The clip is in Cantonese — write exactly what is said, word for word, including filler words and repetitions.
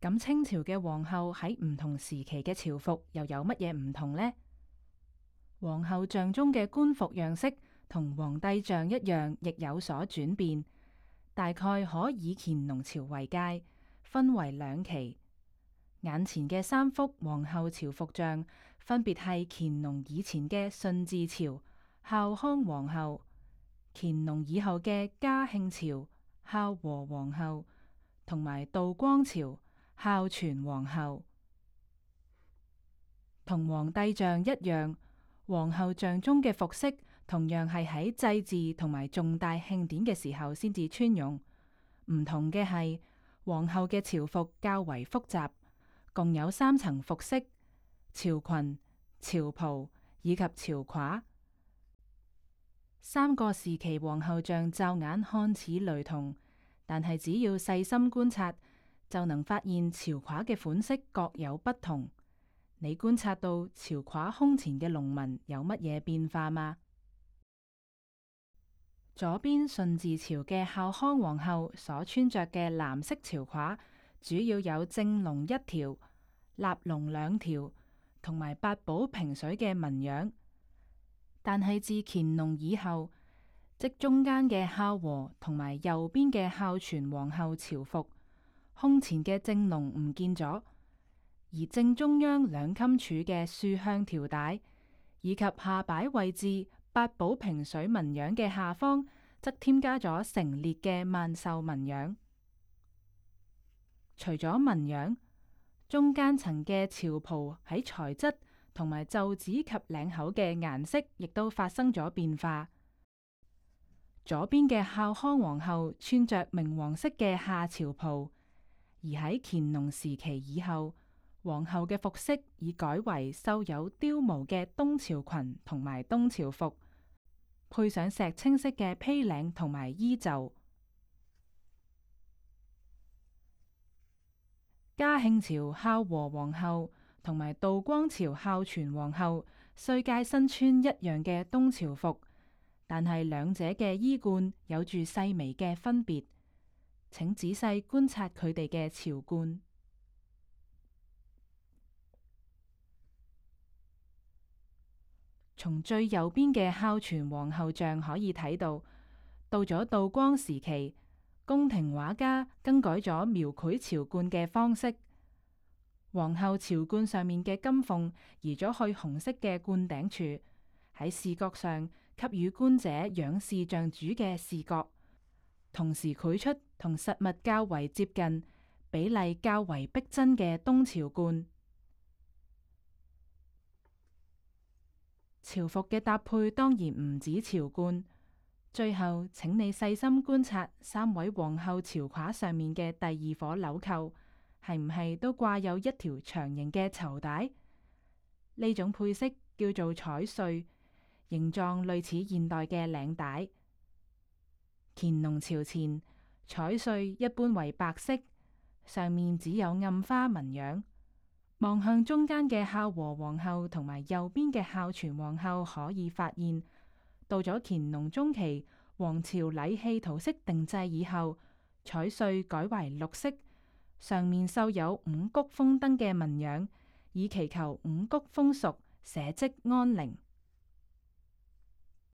咁清朝嘅皇后喺唔同時期嘅朝服又有乜嘢唔同呢？皇后像中嘅官服樣式同皇帝像一樣，亦有所轉變。大概可以乾隆朝為界，分為兩期。眼前嘅三幅皇后朝服像，分別係乾隆以前嘅順治朝孝康皇后，乾隆以後嘅嘉慶朝孝和皇后，同埋道光朝孝全皇后。同皇帝像一樣，皇后像中嘅服飾同樣係喺祭祀同埋重大慶典嘅時候先至穿用。唔同嘅係，皇后嘅朝服較為複雜，共有三層服飾：朝裙、朝袍以及朝褂。三個時期皇后像驟眼看似雷同，但係只要細心觀察，就能發現朝褂嘅款式各有不同。你觀察到朝褂胸前嘅龍紋有乜嘢變化嗎？左邊順治朝嘅孝康皇后所穿着嘅藍色朝褂，主要有正龍一條、立龍兩條，同埋八寶平水嘅紋樣。但係自乾隆以後，即中間嘅孝和同埋右邊嘅孝全皇后朝服，胸前嘅正龍唔見咗。而正中央兩襟處嘅豎向條帶，以及下擺位置八寶平水紋樣嘅下方，則添加咗成列嘅萬壽紋樣。除咗紋樣，中間層嘅朝袍喺材質同埋袖子及領口嘅顏色，亦都發生咗變化。左邊嘅孝康皇后穿着明黃色嘅下朝袍，而喺乾隆時期以後，皇后嘅服飾已改為繡有貂毛嘅東朝裙同埋東朝服，配上石青色嘅披領同埋衣袖。嘉慶朝孝和皇后同埋道光朝孝全皇后雖皆身穿一樣嘅東朝服，但係兩者嘅衣冠有住細微嘅分別，請仔細觀察佢哋嘅朝冠。從最右邊嘅孝全皇后像可以睇到，到咗道光時期，宮廷畫家更改咗描繪朝冠嘅方式。皇后朝冠上面嘅金鳳移咗去紅色嘅冠頂處，喺視覺上給予觀者仰視像主嘅視覺，同時繪出同實物較為接近、比例較為逼真嘅東朝冠。朝服嘅搭配當然唔止朝冠，最後請你細心觀察三位皇后朝褂上面嘅第二顆紐扣，係唔係都掛有一條長形嘅綢帶？呢種配飾叫做彩繸，形狀類似現代嘅領帶。乾隆朝前，彩繸一般為白色，上面只有暗花紋樣。望向中間嘅孝和皇后同埋右邊嘅孝全皇后，可以發現，到咗乾隆中期，皇朝禮器圖式定製以後，彩繸改為綠色，上面繡有五穀豐登嘅紋樣，以祈求五穀豐熟，社稷安寧。